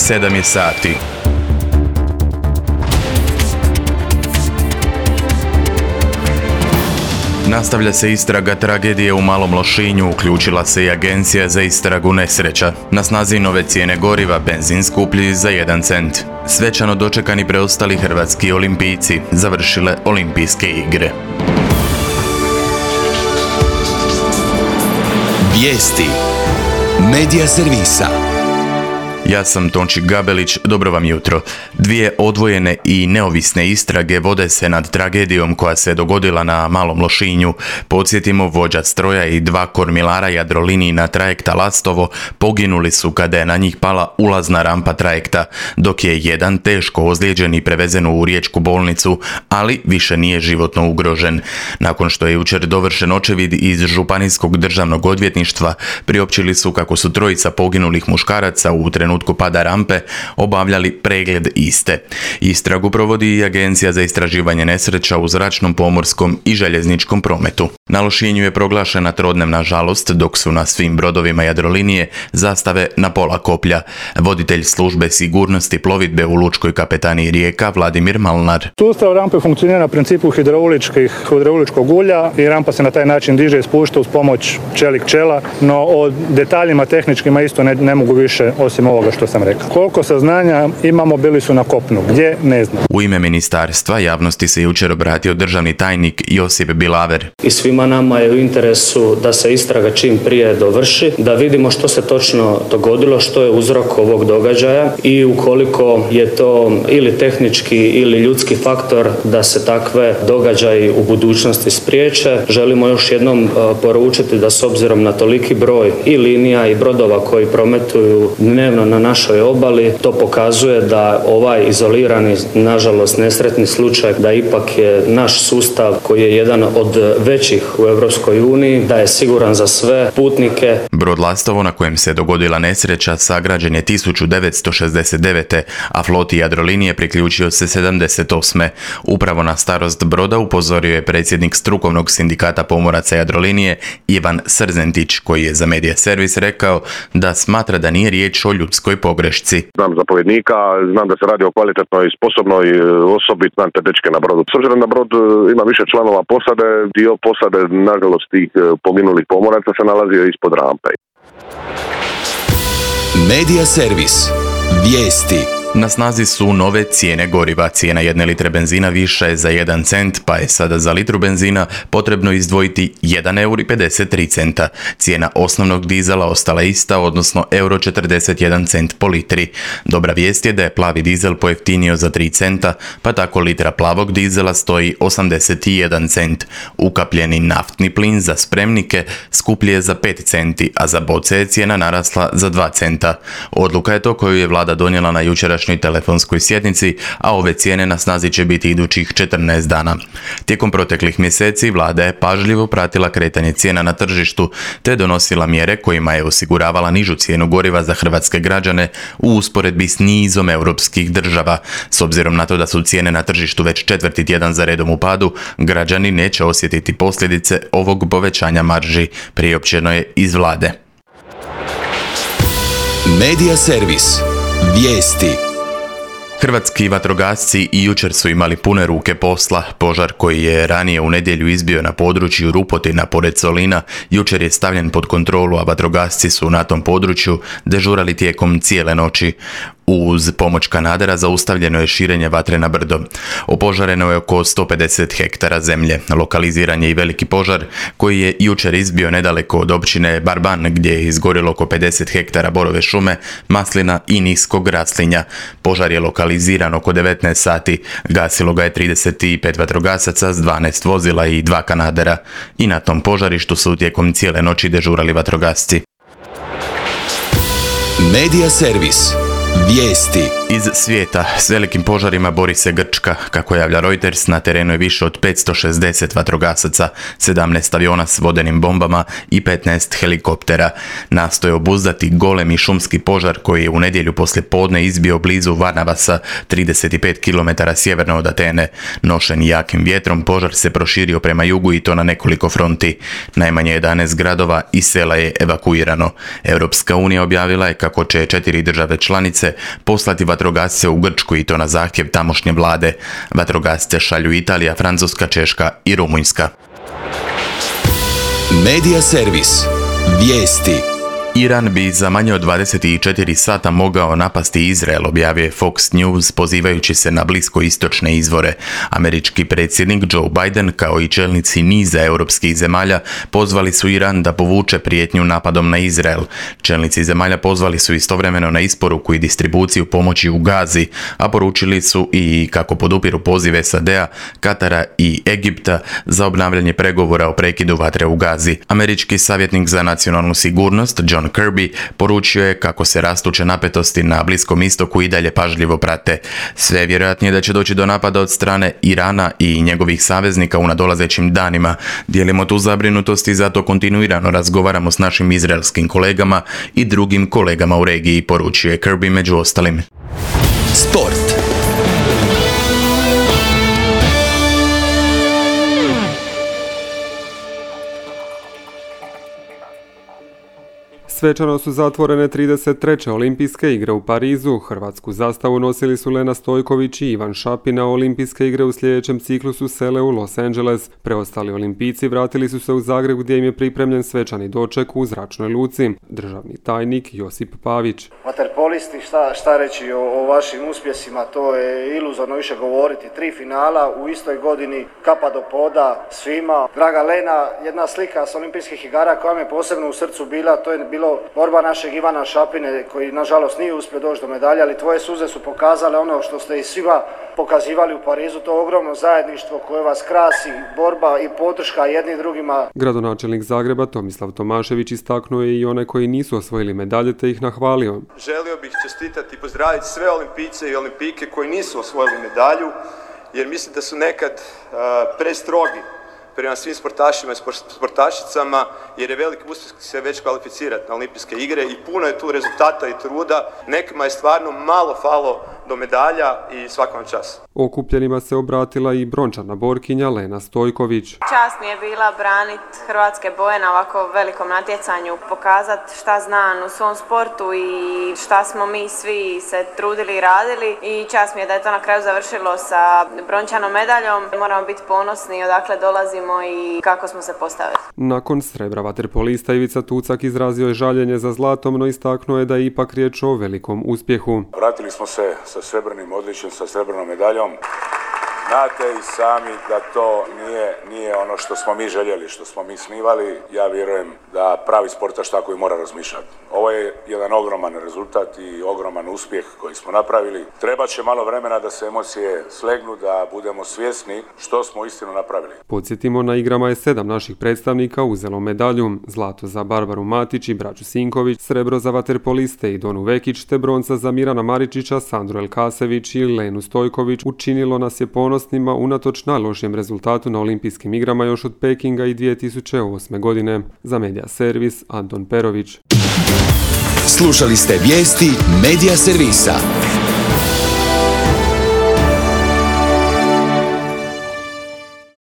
7 je sati. Nastavlja se istraga tragedije u Malom Lošinju, uključila se i Agencija za istragu nesreća. Na snazi nove cijene goriva, benzin skuplji za 1 cent. Svečano dočekani preostali hrvatski olimpijci završile olimpijske igre. Vijesti Medija servisa. Ja sam Tonči Gabelić, dobro vam jutro. 2 odvojene i neovisne istrage vode se nad tragedijom koja se dogodila na Malom Lošinju. Podsjetimo, vođa stroja i 2 kormilara Jadrolinijina trajekta Lastovo poginuli su kada je na njih pala ulazna rampa trajekta, dok je jedan teško ozlijeđen i prevezen u riječku bolnicu, ali više nije životno ugrožen. Nakon što je jučer dovršen očevid iz Županijskog državnog odvjetništva, priopćili su kako su 3 poginulih muškaraca u trenutku pada rampe obavljali pregled iste. Istragu provodi i Agencija za istraživanje nesreća u zračnom, pomorskom i željezničkom prometu. Na Lošinju je proglašena trodnevna žalost, dok su na svim brodovima Jadrolinije zastave na pola koplja. Voditelj službe sigurnosti plovidbe u Lučkoj kapetaniji Rijeka Vladimir Malnar. Sustav rampe funkcionira na principu hidrauličkog ulja i rampa se na taj način diže i spušta uz pomoć čelik čela, no o detaljima tehničkima isto ne mogu više osim ovoga što sam rekao. Koliko saznanja imamo, bili su na kopnu, gdje ne znam. U ime ministarstva javnosti se jučer obratio državni tajnik Josip Bilaver. I svima nama je u interesu da se istraga čim prije dovrši, da vidimo što se točno dogodilo, što je uzrok ovog događaja i ukoliko je to ili tehnički ili ljudski faktor da se takve događaji u budućnosti spriječe. Želimo još jednom poručiti da s obzirom na toliki broj i linija i brodova koji prometuju dnevno na našoj obali, to pokazuje da ovaj izolirani, nažalost nesretni slučaj, da ipak je naš sustav koji je jedan od većih u Europskoj uniji, da je siguran za sve putnike. Brod Lastovo na kojem se dogodila nesreća sagrađen je 1969. a floti Jadrolinije priključio se 78. Upravo na starost broda upozorio je predsjednik strukovnog sindikata pomoraca Jadrolinije Ivan Srzentić, koji je za Medija servis rekao da smatra da nije riječ o ljudskoj pogrešci. Znam zapovjednika, znam da se radi o kvalitetnoj i sposobnoj osobi, znam te dečke na brodu. S obzirom da brod ima više članova posade, dio posade, nažalost, tih poginulih pomoraca se nalazio ispod rampe. Medija servis. Vijesti. Na snazi su nove cijene goriva. Cijena 1 litre benzina viša je za 1 cent, pa je sada za litru benzina potrebno izdvojiti 1,53 €. Cijena osnovnog dizela ostala ista, odnosno €41 po litri. Dobra vijest je da je plavi dizel pojeftinio za 3 centa, pa tako litra plavog dizela stoji 81 cent. Ukapljeni naftni plin za spremnike skuplji je za 5 centi, a za boce je cijena narasla za 2 centa. Odluka je to koju je vlada donijela na jučerašnjoj telefonskoj sjednici, a ove cijene na snazi će biti idućih 14 dana. Tijekom proteklih mjeseci vlada je pažljivo pratila kretanje cijena na tržištu te donosila mjere kojima je osiguravala nižu cijenu goriva za hrvatske građane u usporedbi s nizom europskih država. S obzirom na to da su cijene na tržištu već 4. tjedan za redom u padu, građani neće osjetiti posljedice ovog povećanja marži, priopćeno je iz vlade. Medija servis. Vijesti. Hrvatski vatrogasci i jučer su imali pune ruke posla. Požar koji je ranije u nedjelju izbio na području Rupotina pored Solina, jučer je stavljen pod kontrolu, a vatrogasci su na tom području dežurali tijekom cijele noći. Uz pomoć kanadera zaustavljeno je širenje vatre na brdo. Opožareno je oko 150 hektara zemlje. Lokaliziran je i veliki požar koji je jučer izbio nedaleko od općine Barban, gdje je izgorilo oko 50 hektara borove šume, maslina i niskog raslinja. Požar je lokaliziran oko 19 sati. Gasilo ga je 35 vatrogasaca s 12 vozila i 2 kanadera. I na tom požarištu su tijekom cijele noći dežurali vatrogasci. Medija servis. Vijesti. Iz svijeta. S velikim požarima bori se Grčka. Kako javlja Reuters, na terenu je više od 560 vatrogasaca, 17 aviona s vodenim bombama i 15 helikoptera. Nastoje obuzdati golemi šumski požar koji je u nedjelju poslije podne izbio blizu Varnavasa, 35 km sjeverno od Atene. Nošen jakim vjetrom, požar se proširio prema jugu i to na nekoliko fronti. Najmanje 11 gradova i sela je evakuirano. Europska unija objavila je kako će 4 države članice djece poslati vatrogasce u Grčku i to na zahtjev tamošnje vlade. Vatrogasce šalju Italija, Francuska, Češka i Rumunjska. Medija servis. Vijesti. Iran bi za manje od 24 sata mogao napasti Izrael, objavio je Fox News pozivajući se na bliskoistočne izvore. Američki predsjednik Joe Biden kao i čelnici niza europskih zemalja pozvali su Iran da povuče prijetnju napadom na Izrael. Čelnici zemalja pozvali su istovremeno na isporuku i distribuciju pomoći u Gazi, a poručili su i kako podupiru pozive SAD-a, Katara i Egipta za obnavljanje pregovora o prekidu vatre u Gazi. Američki savjetnik za nacionalnu sigurnost John Kirby poručio je kako se rastuće napetosti na Bliskom istoku i dalje pažljivo prate. Sve je vjerojatnije da će doći do napada od strane Irana i njegovih saveznika u nadolazećim danima. Dijelimo tu zabrinutost i zato kontinuirano razgovaramo s našim izraelskim kolegama i drugim kolegama u regiji, poručio je Kirby među ostalim. Sport. Svečano su zatvorene 33. olimpijske igre u Parizu. Hrvatsku zastavu nosili su Lena Stojković i Ivan Šapina. Olimpijske igre u sljedećem ciklusu sele u Los Angeles. Preostali olimpijci vratili su se u Zagreb gdje im je pripremljen svečani doček u zračnoj luci. Državni tajnik Josip Pavić. Vaterpolisti, šta reći o vašim uspjesima, to je iluzorno više govoriti. 3 finala u istoj godini, kapa do poda svima. Draga Lena, jedna slika s olimpijskih igara koja mi je posebno u srcu bila, to je bilo borba našeg Ivana Šapine koji nažalost nije uspio doći do medalja, ali tvoje suze su pokazale ono što ste i svima pokazivali u Parizu, to ogromno zajedništvo koje vas krasi, borba i podrška jedni drugima. Gradonačelnik Zagreba Tomislav Tomašević istaknuo je i one koji nisu osvojili medalje te ih nahvalio. Želio bih čestitati i pozdraviti sve olimpijce i olimpijke koji nisu osvojili medalju, jer mislim da su nekad prestrogi prema svim sportašima i sportašicama, jer je veliki uspjeh se već kvalificirati na olimpijske igre i puno je tu rezultata i truda. Nekima je stvarno malo falo do medalja i svakom čas. Okupljenima se obratila i brončana borkinja Lena Stojković. Čast mi je bila braniti hrvatske boje na ovako velikom natjecanju, pokazati šta znam u svom sportu i šta smo mi svi se trudili i radili i čast mi je da je to na kraju završilo sa brončanom medaljom. Moramo biti ponosni odakle dolazimo i kako smo se postavili. Nakon srebra vaterpolista Ivica Tucak izrazio je žaljenje za zlatom, no istaknuo je da je ipak riječ o velikom uspjehu. Vratili smo se sa srebrnim odličjem, sa srebrnom medaljom. Znate i sami da to nije ono što smo mi željeli, što smo mi snivali. Ja vjerujem da pravi sportaš tako i mora razmišljati. Ovo je jedan ogroman rezultat i ogroman uspjeh koji smo napravili. Treba će malo vremena da se emocije slegnu, da budemo svjesni što smo istinu napravili. Podsjetimo, na igrama je 7 naših predstavnika uzelo medalju. Zlato za Barbaru Matić i braću Sinković, srebro za vaterpoliste i Donu Vekić, te bronca za Mirana Maričića, Sandru Elkasević i Lenu Stojković. Učinilo nas je ponosnima unatoč najlošijem rezultatu na olimpijskim igrama još od Pekinga i 2008. godine. Za Medija servis Anton Perović. Slušali ste vijesti Medija servisa.